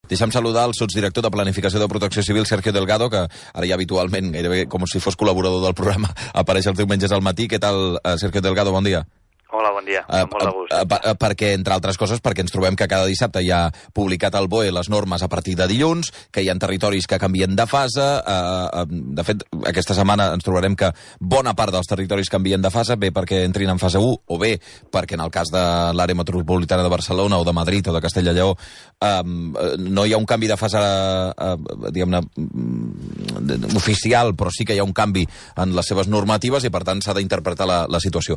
Deixa'm saludar el sotsdirector de Planificació de Protecció Civil, Sergio Delgado, que ara ja habitualment, gairebé com si fos col·laborador del programa, apareix els diumenges al matí. Què tal, Sergio Delgado? Bon dia. Hola, bon dia. Amb molt de gust. Perquè, entre altres coses, perquè ens trobem que cada dissabte hi ha publicat el BOE les normes a partir de dilluns, que hi ha territoris que canvien de fase. De fet, aquesta setmana ens trobarem que bona part dels territoris canvien de fase, bé perquè entrin en fase 1, o bé perquè en el cas de l'àrea metropolitana de Barcelona o de Madrid o de Castella i Lleó no hi ha un canvi de fase, diguem-ne, oficial, però sí que hi ha un canvi en les seves normatives i, per tant, s'ha d'interpretar la situació.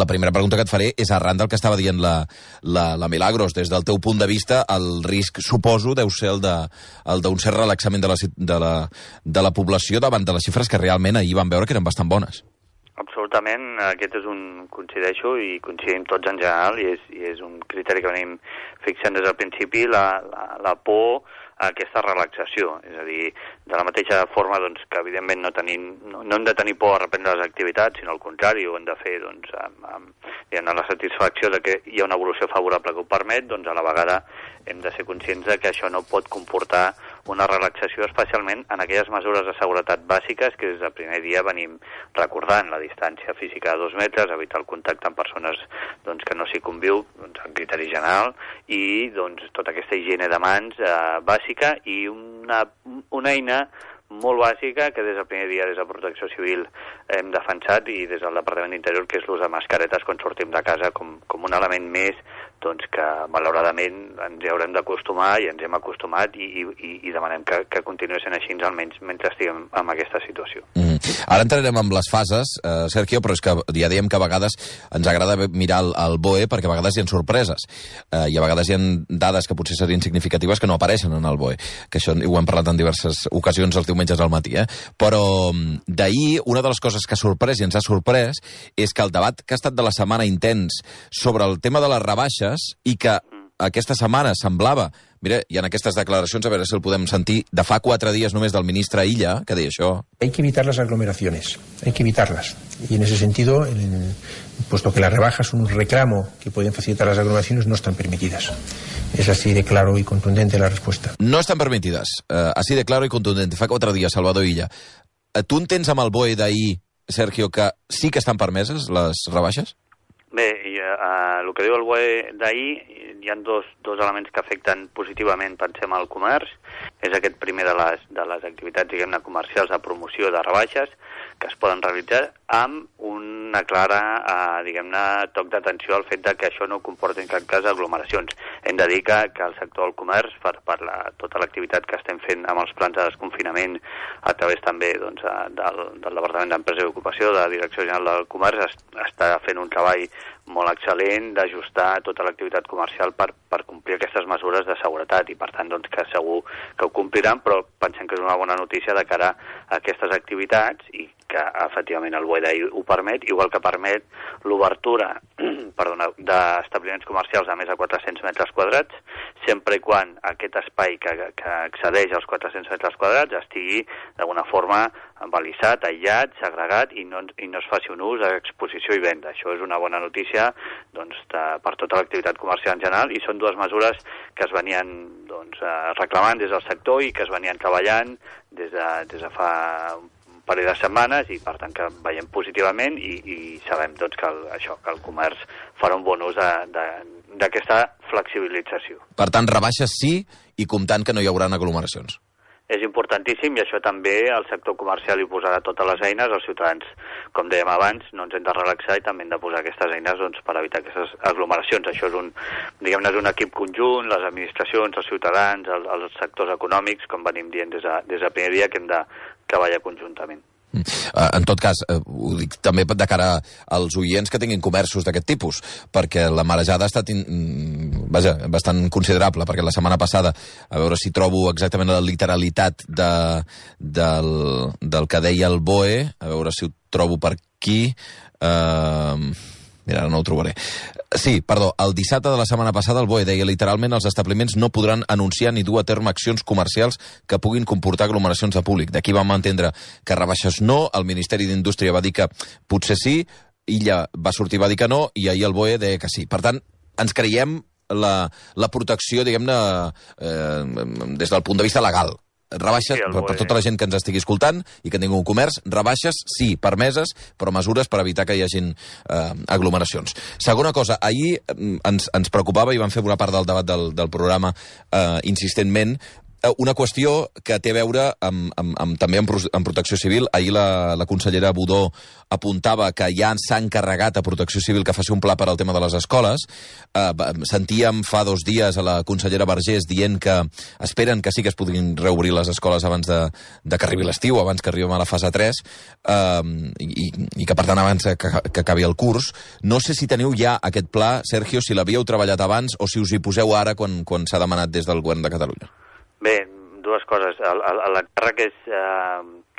La primera pregunta que et faré és arran del que estava dient la Milagros. Des del teu punt de vista, el risc, suposo, deu ser el d'un cert relaxament de la població davant de les xifres que realment ahir vam veure que eren bastant bones. Absolutament, aquest és coincideixo i coincidim tots en general, i és un criteri que venim fixant des del principi, la por a aquesta relaxació. És a dir, de la mateixa forma que evidentment no hem de tenir por a reprendre les activitats, sinó al contrari, ho hem de fer amb la satisfacció de que hi ha una evolució favorable que ho permet, a la vegada hem de ser conscients que això no pot comportar una relaxació, especialment en aquelles mesures de seguretat bàsiques que des del primer dia venim recordant: la distància física de 2 metres, evitar el contacte amb persones que no s'hi conviu, en criteri general, i tota aquesta higiene de mans bàsica, i una eina molt bàsica que des del primer dia, des de Protecció Civil, hem defensat, i des del Departament d'Interior, que és l'ús de mascaretes quan sortim de casa com un element més que malauradament ens hi haurem d'acostumar, i ens hem acostumat, i demanem que continuï sent així, almenys mentre estiguem en aquesta situació. Ara entrarem amb les fases, Sergio, però és que ja dèiem que a vegades ens agrada mirar el BOE perquè a vegades hi ha sorpreses, i a vegades hi ha dades que potser serien significatives que no apareixen en el BOE, que això ho hem parlat en diverses ocasions els diumenges al matí, però d'ahir una de les coses que ha sorprès i ens ha sorprès és que el debat que ha estat de la setmana intens sobre el tema de les rebaixes, i que aquesta setmana semblava, mira, hi ha aquestes declaracions, a veure si el podem sentir, de fa 4 dies només del ministre Illa, que deia això. Hay que evitar las aglomeraciones, hay que evitarlas. Y en ese sentido, puesto que las rebajas son un reclamo que pueden facilitar las aglomeraciones, no están permitidas. Es así de claro y contundente la respuesta. No estan permitides, así de claro y contundente. Fa 4 dies, Salvador Illa. Tu entens amb el BOE d'ahir, Sergio, que sí que estan permeses les rebaixes? Bé, el que diu el BOE d'ahir, hi ha dos elements que afecten positivament, pensem, al comerç. És aquest primer de les activitats, diguem-ne, comercials de promoció de rebaixes que es poden realitzar amb una clara, diguem-ne, toc d'atenció al fet que això no comporta en cap cas aglomeracions. Hem de dir que el sector del comerç, per tota l'activitat que estem fent amb els plans de desconfinament, a través també del Departament d'Empresa i Ocupació, de la Direcció General del Comerç, està fent un treball molt excel·lent d'ajustar tota l'activitat comercial per complir aquestes mesures de seguretat, i per tant que segur que ho compliran, però pensem que és una bona notícia de cara a aquestes activitats, i que efectivament el BOE d'ahir ho permet, igual que permet l'obertura d'establiments comercials de més de 400 metres quadrats, sempre i quan aquest espai que excedeix als 400 metres quadrats estigui d'alguna forma balisat, aïllat, segregat, i no es faci un ús d'exposició i venda. Això és una bona notícia per tota l'activitat comercial en general, i són 2 mesures que es venien reclamant des del sector i que es venien treballant des de fa un parell de setmanes, i per tant que veiem positivament, i sabem que el comerç farà un bon ús d'aquesta flexibilització. Per tant, rebaixes sí, i comptant que no hi haurà aglomeracions. És importantíssim, i això també el sector comercial hi posarà totes les eines. Els ciutadans, com dèiem abans, no ens hem de relaxar, i també hem de posar aquestes eines per evitar aquestes aglomeracions. Això és un equip conjunt, les administracions, els ciutadans, els sectors econòmics, com venim dient des del primer dia, que hem de treballar conjuntament. En tot cas, ho dic també de cara als oients que tinguin comerços d'aquest tipus, perquè la marejada ha estat bastant considerable, perquè la setmana passada, a veure si trobo exactament la literalitat del que deia el BOE, a veure si ho trobo per aquí, mira, ara no ho trobaré. Sí, perdó, el dissabte de la setmana passada el BOE deia literalment: els establiments no podran anunciar ni dur a terme accions comercials que puguin comportar aglomeracions de públic. D'aquí vam entendre que rebaixes no, el Ministeri d'Indústria va dir que potser sí, Illa va sortir i va dir que no, i ahir el BOE deia que sí. Per tant, ens creiem la protecció, diguem-ne, des del punt de vista legal. Rebaixes, per tota la gent que ens estigui escoltant i que tingui un comerç, rebaixes, sí, permeses, però mesures per evitar que hi hagin aglomeracions. Segona cosa, ahir ens preocupava, i vam fer una part del debat del programa insistentment, una qüestió que té a veure també amb Protecció Civil. Ahir la consellera Budó apuntava que ja s'ha encarregat a Protecció Civil que faci un pla per al tema de les escoles. Sentíem fa 2 dies a la consellera Vergés dient que esperen que sí que es puguin reobrir les escoles abans de que arribi l'estiu, abans que arribem a la fase 3, i que, per tant, abans que acabi el curs. No sé si teniu ja aquest pla, Sergio, si l'havíeu treballat abans o si us hi poseu ara quan s'ha demanat des del govern de Catalunya. Bé, 2 coses. L'encàrrec és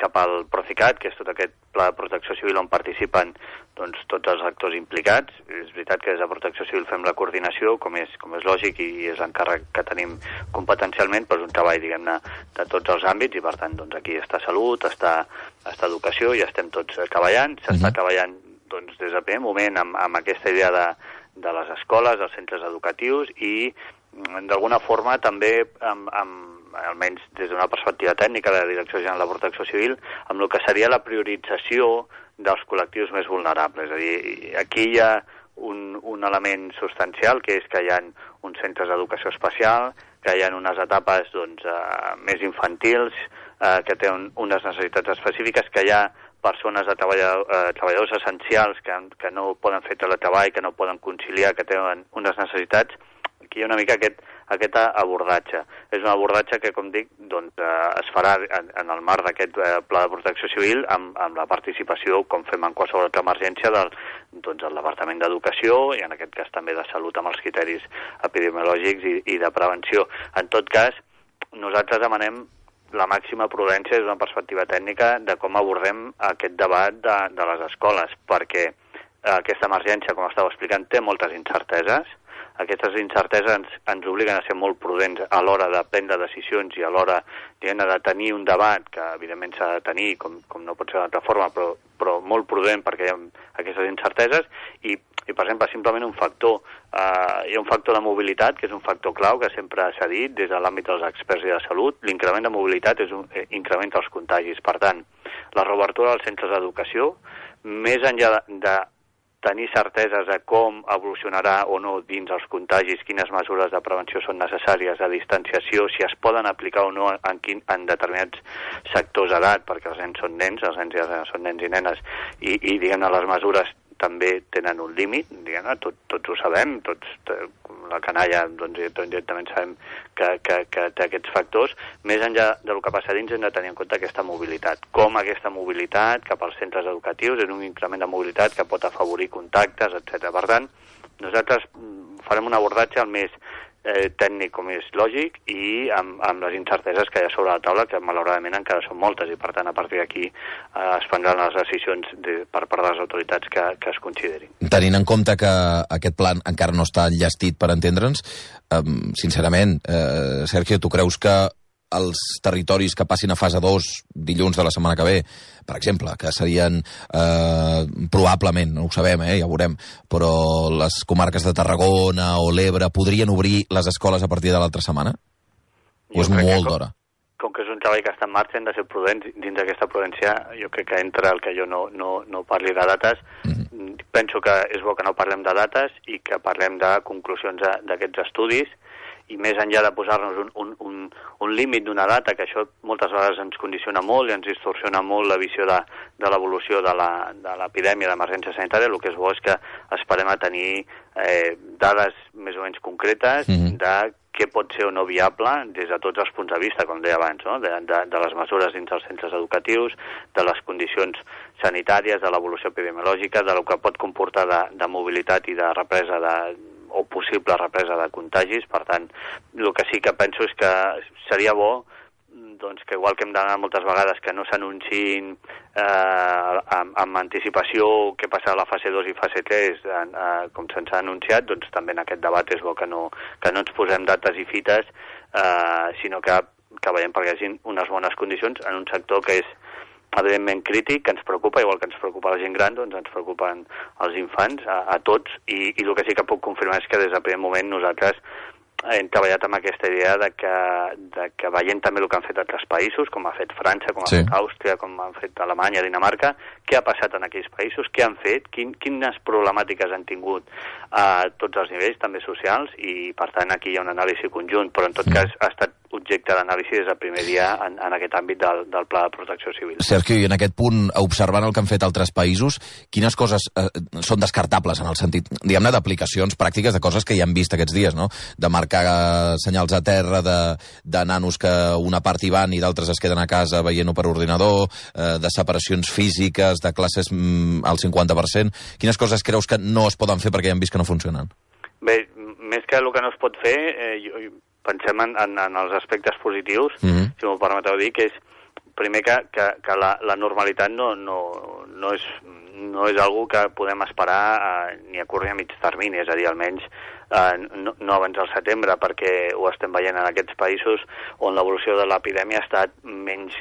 cap al Procicat, que és tot aquest pla de protecció civil on participen doncs, tots els actors implicats. És veritat que des de Protecció Civil fem la coordinació, com és lògic, i és l'encàrrec que tenim competencialment, però és un treball, diguem-ne, de tots els àmbits, i per tant, doncs, aquí està Salut, està Educació, i estem tots treballant. S'està treballant doncs, des del primer moment amb aquesta idea de les escoles, dels centres educatius, i d'alguna forma també almenys des d'una perspectiva tècnica de la Direcció General de Protecció Civil, amb el que seria la priorització dels col·lectius més vulnerables. És a dir, aquí hi ha un element substancial, que és que hi ha uns centres d'educació especial, que hi ha unes etapes doncs, més infantils, que tenen unes necessitats específiques, que hi ha persones de treballadors essencials que no poden fer teletreball, que no poden conciliar, que tenen unes necessitats. Aquí hi ha una mica aquest abordatge. És un abordatge que, com dic, doncs, es farà en el marc d'aquest pla de protecció civil amb la participació, com fem en qualsevol altra emergència, del Departament d'Educació i en aquest cas també de Salut amb els criteris epidemiològics i de prevenció. En tot cas, nosaltres demanem la màxima prudència des d'una perspectiva tècnica de com abordem aquest debat de les escoles, perquè aquesta emergència, com estava explicant, té moltes incerteses. Aquestes incerteses ens obliguen a ser molt prudents a l'hora de prendre decisions i a l'hora de tenir un debat que evidentment s'ha de tenir, com no pot ser d'altra forma, però molt prudent perquè hi ha aquestes incerteses i per exemple, simplement un factor. Hi ha un factor de mobilitat, que és un factor clau, que sempre s'ha dit des de l'àmbit dels experts i de salut. L'increment de mobilitat incrementa els contagis. Per tant, la reobertura dels centres d'educació, més enllà de tenir certeses de com evolucionarà o no dins els contagis, quines mesures de prevenció són necessàries, de distanciació, si es poden aplicar o no en determinats sectors d'edat, perquè els nens són nens, els nens ja són nens i nenes, i diguem-ne, les mesures també tenen un límit, diguem-ne, tots ho sabem, la canalla, doncs, directament sabem que té aquests factors. Més enllà del que passa dins, hem de tenir en compte aquesta mobilitat. Com aquesta mobilitat cap als centres educatius és un increment de mobilitat que pot afavorir contactes, etc. Per tant, nosaltres farem un abordatge el més tècnic com és lògic i amb les incerteses que hi ha sobre la taula, que malauradament encara són moltes, i per tant a partir d'aquí es prendran les decisions per part de les autoritats que es considerin. Tenint en compte que aquest plan encara no està enllestit, per entendre'ns, sincerament, Sergio, tu creus que els territoris que passin a fase 2 dilluns de la setmana que ve, per exemple, que serien probablement, no ho sabem, ja ho veurem, però les comarques de Tarragona o l'Ebre podrien obrir les escoles a partir de l'altra setmana? O és molt d'hora? Com que és un treball que està en marxa, hem de ser prudents. Dins d'aquesta prudència, jo crec que entra el que jo no parli de dates. Penso que és bo que no parlem de dates i que parlem de conclusions d'aquests estudis, i més enllà de posar-nos un límit d'una data, que això moltes vegades ens condiciona molt i ens distorsiona molt la visió de l'evolució de l'epidèmia d'emergència sanitària, el que és bo és que esperem a tenir dades més o menys concretes de què pot ser o no viable des de tots els punts de vista, com deia abans, no? de les mesures dins els centres educatius, de les condicions sanitàries, de l'evolució epidemiològica, de lo que pot comportar de mobilitat i de represa o possible represa de contagis. Per tant, el que sí que penso és que seria bo doncs, que igual que hem d'anar moltes vegades que no s'anunciïn amb anticipació què passarà a la fase 2 i fase 3 com se'ns ha anunciat, doncs també en aquest debat és bo que no ens posem dates i fites, sinó que veiem perquè hi hagi unes bones condicions en un sector que evidentment crític, que ens preocupa, igual que ens preocupa la gent gran, doncs ens preocupen els infants, a tots, i el que sí que puc confirmar és que des del primer moment nosaltres hem treballat amb aquesta idea de que veient també el que han fet altres països, com ha fet França, com ha fet Àustria, com han fet Alemanya, Dinamarca, què ha passat en aquells països, què han fet, quines problemàtiques han tingut a tots els nivells, també socials, i per tant aquí hi ha un anàlisi conjunt, però en tot cas ha estat objecte d'anàlisi des del primer dia en aquest àmbit del Pla de Protecció Civil. Sergio, i en aquest punt, observant el que han fet altres països, quines coses són descartables en el sentit, diguem-ne, d'aplicacions pràctiques de coses que ja hem vist aquests dies, no? De marcar senyals a terra, de nanos que una part hi van i d'altres es queden a casa veient-ho per ordinador, de separacions físiques, de classes al 50%. Quines coses creus que no es poden fer perquè ja hem vist que no funcionen? Bé, més que el que no es pot fer, pensem en els aspectes positius, si m'ho permeteu dir, que és primer que la normalitat no és algo que podem esperar ni a curt ni a mig termini, és a dir, almenys no abans del setembre, perquè ho estem veient en aquests països on l'evolució de l'epidèmia ha estat menys,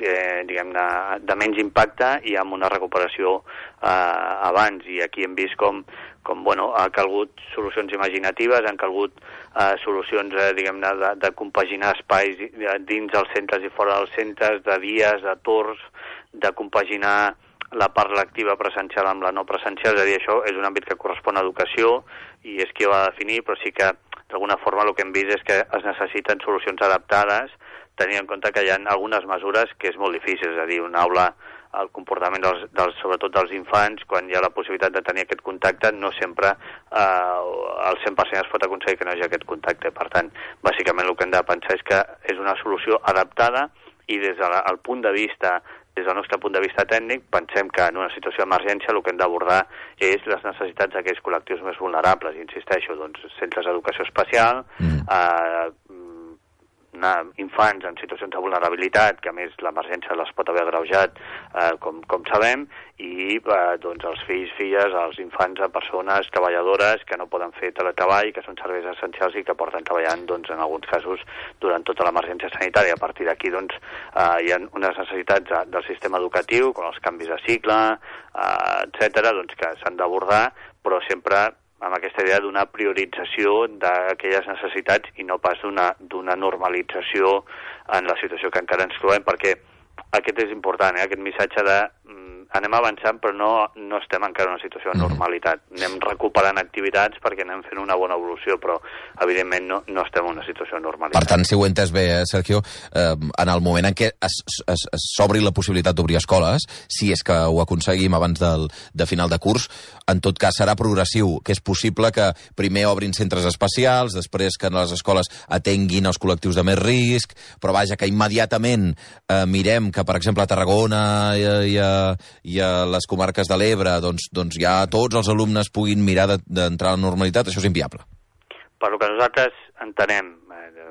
diguem-ne, de menys impacte i amb una recuperació abans, i aquí hem vist com ha calgut solucions imaginatives, han calgut solucions, diguem-ne, de compaginar espais dins els centres i fora dels centres, de dies, de torns, de compaginar la part lectiva presencial amb la no presencial, és a dir, això és un àmbit que correspon a educació i és qui ho ha de definir, però sí que d'alguna forma el que hem vist és que es necessiten solucions adaptades, tenint en compte que hi ha algunes mesures que és molt difícil, és a dir, una aula, el comportament sobretot dels infants, quan hi ha la possibilitat de tenir aquest contacte, no sempre al 100% es pot aconseguir que no hi hagi aquest contacte. Per tant, bàsicament el que hem de pensar és que és una solució adaptada i des del nostre punt de vista tècnic, pensem que en una situació d'emergència el que hem d'abordar és les necessitats d'aquells col·lectius més vulnerables. Insisteixo, doncs, centres d'educació especial, infants en situacions de vulnerabilitat, que a més l'emergència les pot haver agreujat, com sabem, i doncs els fills, filles, els infants a persones treballadores que no poden fer teletreball, que són serveis essencials i que porten treballant, doncs, en alguns casos durant tota l'emergència sanitària. A partir d'aquí, doncs, hi ha unes necessitats del sistema educatiu, com els canvis de cicle, etcètera, doncs, que s'han d'abordar, però sempre amb aquesta idea d'una priorització d'aquelles necessitats i no pas d'una normalització en la situació que encara ens trobem, perquè aquest és important, aquest missatge de anem avançant però no estem encara en una situació de normalitat. Anem recuperant activitats perquè anem fent una bona evolució, però evidentment no estem en una situació de normalitat. Per tant, si ho he entès bé, Sergio, en el moment en què s'obri la possibilitat d'obrir escoles, si és que ho aconseguim abans de final de curs, en tot cas serà progressiu, que és possible que primer obrin centres especials, després que les escoles atenguin els col·lectius de més risc, però vaja, que immediatament mirem que, per exemple, a Tarragona i a les comarques de l'Ebre, doncs ja tots els alumnes puguin mirar d'entrar a la normalitat, això és inviable. Per el que nosaltres entenem,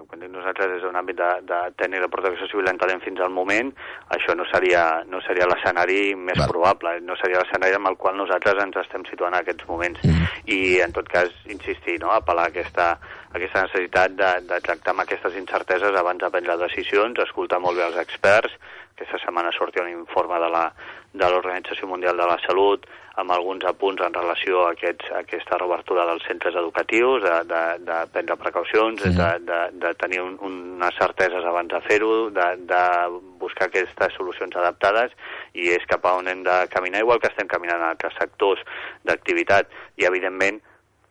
quan dic nosaltres és un àmbit de tècnic de protecció civil, entenem fins al moment, això no seria l'escenari més probable, no seria l'escenari amb el qual nosaltres ens estem situant en aquests moments. I en tot cas, insistir, apel·lar a aquesta necessitat de tractar amb aquestes incerteses abans de prendre decisions, escoltar molt bé els experts. Aquesta setmana sortia un informe de l'Organització Mundial de la Salut amb alguns apunts en relació a aquesta reobertura dels centres educatius, de prendre precaucions, de tenir unes certeses abans de fer-ho, de buscar aquestes solucions adaptades, i és cap a on hem de caminar, igual que estem caminant en altres sectors d'activitat. I, evidentment,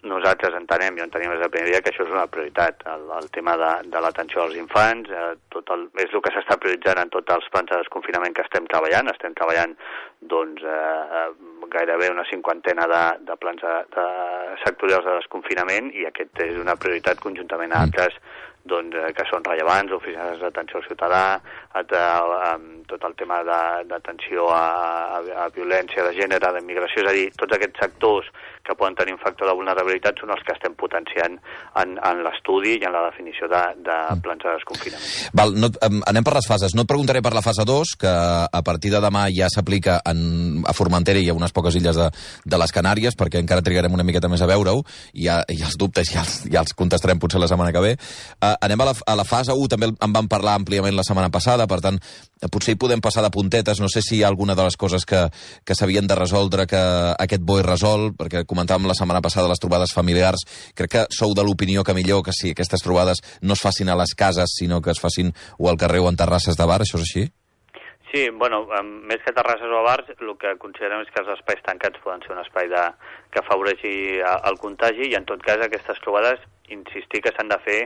nosaltres entenem, jo entenem des del primer dia, que això és una prioritat. El tema de l'atenció als infants és el que s'està prioritzant en tots els plans de desconfinament que estem treballant. Estem treballant doncs, gairebé una 50 de plans sectorials de desconfinament, i aquest és una prioritat conjuntament a altres que són rellevants, oficines d'atenció al ciutadà, tot el tema d'atenció a violència de gènere, d'immigració, és a dir, tots aquests sectors que poden tenir un factor de vulnerabilitat són els que estem potenciant en l'estudi i en la definició de plans de desconfinament. Val, anem per les fases. No et preguntaré per la fase 2, que a partir de demà ja s'aplica a Formentera i a unes poques illes de les Canàries, perquè encara trigarem una miqueta més a veure-ho, i els dubtes ja els contestarem potser la setmana que ve. Anem a la fase 1, també en vam parlar àmpliament la setmana passada, per tant, potser hi podem passar de puntetes. No sé si hi ha alguna de les coses que s'havien de resoldre que aquest BOE resol, perquè comentàvem la setmana passada les trobades familiars. Crec que sou de l'opinió que millor que si aquestes trobades no es facin a les cases, sinó que es facin o al carrer o en terrasses de bar, això és així? Sí, bueno, més que terrasses o bars, el que considerem és que els espais tancats poden ser un espai que afavoreixi el contagi, i en tot cas aquestes trobades, insistir que s'han de fer,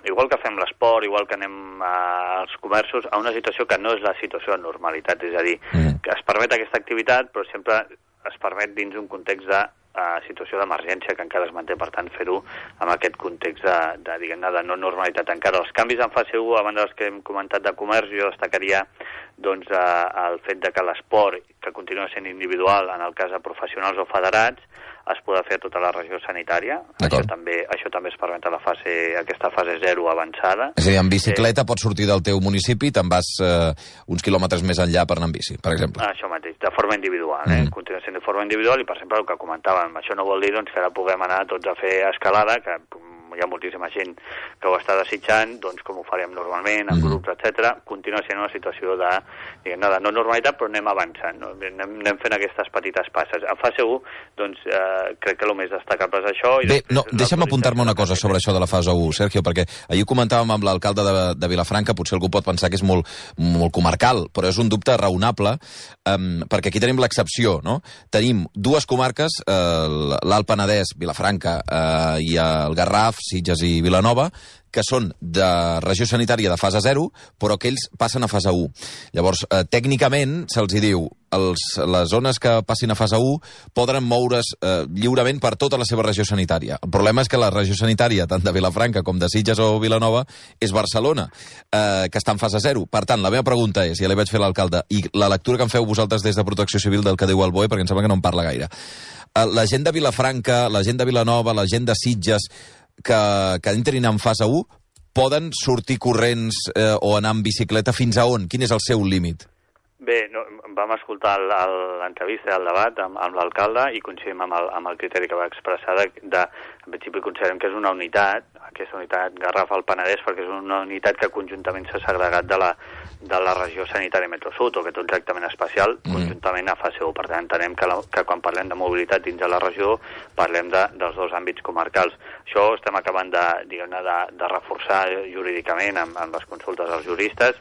igual que fem l'esport, igual que anem als comerços, a una situació que no és la situació de normalitat, és a dir, que es permet aquesta activitat, però sempre es permet dins un context de situació d'emergència que encara es manté, per tant, fer-ho amb aquest context de no normalitat encara. Els canvis en fase 1, a banda dels que hem comentat de comerç, jo destacaria doncs, el fet de que l'esport, que continua sent individual, en el cas de professionals o federats, es podrà fer a tota la regió sanitària. Això també es permet a aquesta fase 0 avançada. És a dir, en bicicleta pots sortir del teu municipi i te'n vas uns quilòmetres més enllà per anar en bici, per exemple. Això mateix, de forma individual. Continua sent de forma individual, i per exemple el que comentàvem, això no vol dir que ara puguem anar tots a fer escalada, que hi ha moltíssima gent que ho està desitjant, doncs com ho farem normalment, en grups, etc. Continua sent una situació de no normalitat, però anem avançant, no? Anem fent aquestes petites passes. A fase 1, doncs, crec que el més destacable és això. Bé, deixa'm apuntar-me una cosa sobre això de la fase 1, Sergio, perquè ahir comentàvem amb l'alcalde de Vilafranca, potser algú pot pensar que és molt comarcal, però és un dubte raonable, perquè aquí tenim l'excepció, no? Tenim dues comarques, l'Alt Penedès, Vilafranca i el Garraf, Sitges i Vilanova, que són de regió sanitària de fase 0, però que ells passen a fase 1. Llavors, tècnicament, se'ls diu, les zones que passin a fase 1 poden moure's lliurement per tota la seva regió sanitària. El problema és que la regió sanitària, tant de Vilafranca com de Sitges o Vilanova, és Barcelona, que està en fase 0. Per tant, la meva pregunta és, ja li vaig fer a l'alcalde, i la lectura que en feu vosaltres des de Protecció Civil del que diu el BOE, perquè em sembla que no en parla gaire. La gent de Vilafranca, la gent de Vilanova, la gent de Sitges, que entrin en fase 1, poden sortir corrents o anar en bicicleta fins a on? Quin és el seu límit? Bé, vam escoltar l'entrevista i el debat amb l'alcalde i coincidim amb el criteri que va expressar en principi considerem que és una unitat, aquesta unitat Garraf al Penedès, perquè és una unitat que conjuntament s'ha segregat de la regió sanitària Metro-Sud, o que té un tractament especial conjuntament a fase 1. Per tant, entenem que quan parlem de mobilitat dins de la regió parlem dels dos àmbits comarcals. Això estem acabant de reforçar jurídicament amb les consultes dels juristes.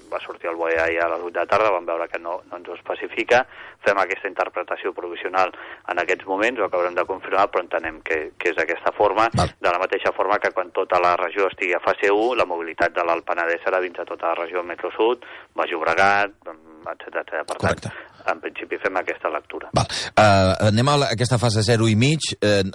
Va sortir el BOE ahir a les 8 de la tarda, vam veure que no ens ho especifica, fem aquesta interpretació provisional en aquests moments, ho acabarem de confirmar, però entenem que és d'aquesta forma, de la mateixa forma que quan tota la regió estigui a fase 1, la mobilitat de l'Alt Penedès serà dins de tota la regió Metro-Sud, Baix Llobregat, etc. Per tant, en principi fem aquesta lectura. Anem a aquesta fase 0 i mig.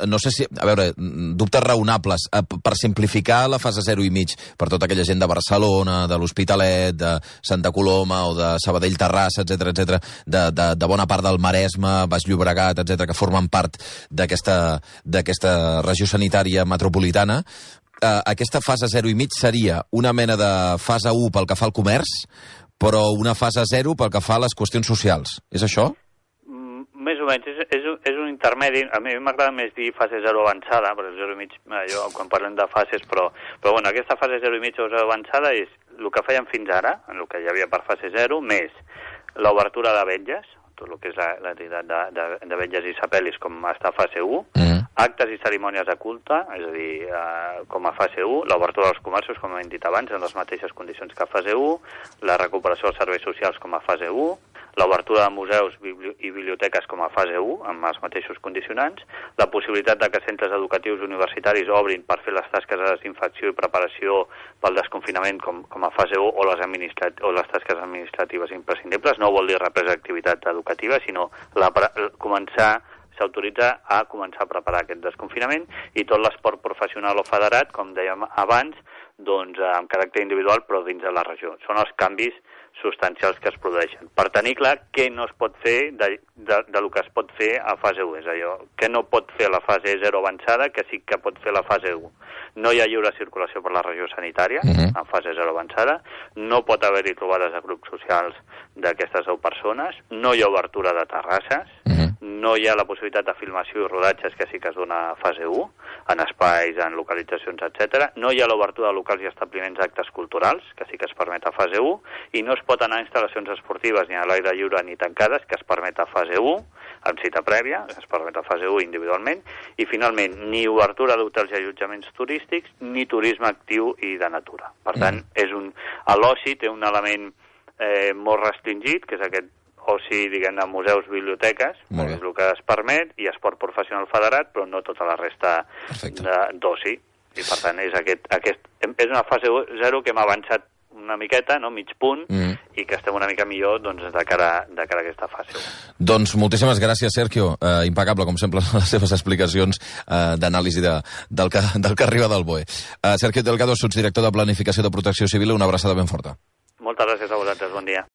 No sé si... A veure, dubtes raonables. Per simplificar la fase 0 i mig, per tota aquella gent de Barcelona, de l'Hospitalet, de Santa Coloma o de Sabadell, Terrassa, etc., de bona part del Maresme, Baix Llobregat, etc., que formen part d'aquesta regió sanitària metropolitana, aquesta fase 0 i mig seria una mena de fase 1 pel que fa al comerç, però una fase 0 pel que fa a les qüestions socials. És això? Més o menys. És un intermedi. A mi m'agrada més dir fase 0 avançada, però 0 i mig, quan parlem de fases, però bueno, aquesta fase 0 i mig o 0 avançada és el que fèiem fins ara, en el que hi havia per fase 0, més l'obertura de vetlles, tot el que és l'activitat de vetlles i sapelis com està a fase 1, actes i cerimònies de culte, és a dir, com a fase 1, l'obertura dels comerços, com hem dit abans, en les mateixes condicions que a fase 1, la recuperació dels serveis socials com a fase 1, l'obertura de museus i biblioteques com a fase 1, amb els mateixos condicionants, la possibilitat de que centres educatius universitaris obrin per fer les tasques de desinfecció i preparació pel desconfinament com a fase 1 o les tasques administratives imprescindibles. No vol dir represa d'activitat educativa, sinó s'autoritza a començar a preparar aquest desconfinament, i tot l'esport professional o federat, com dèiem abans, doncs amb caràcter individual però dins de la regió. Són els canvis substancials que es produeixen. Per tenir clar què no es pot fer del que es pot fer a fase 1. És allò que no pot fer la fase 0 avançada, que sí que pot fer la fase 1. No hi ha lliure circulació per la regió sanitària en fase 0 avançada, no pot haver-hi trobades de grups socials d'aquestes 10 persones, no hi ha obertura de terrasses, no hi ha la possibilitat de filmació i rodatges, que sí que es dona a fase 1, en espais, en localitzacions, etc. No hi ha l'obertura de locals i establiments d'actes culturals, que sí que es permet a fase 1, i no es pot anar a instal·lacions esportives ni a l'aire lliure ni tancades, que es permet a fase 1, amb cita prèvia, es permet a fase 1 individualment, i finalment ni obertura d'hotels i allotjaments turístics ni turisme actiu i de natura. Per tant, l'oci té un element molt restringit, que és aquest oci, diguem-ne, museus, biblioteques, és el que es permet, i esport professional federat, però no tota la resta d'oci. I per tant, és una fase 0 que hem avançat una miqueta, no? Mig punt, i que estem una mica millor de cara a aquesta fase 1. Doncs moltíssimes gràcies, Sergio. Impecable, com sempre, les seves explicacions d'anàlisi del que arriba del BOE. Sergio Delgado, sotsdirector de Planificació de Protecció Civil, una abraçada ben forta. Moltes gràcies a vosaltres, bon dia.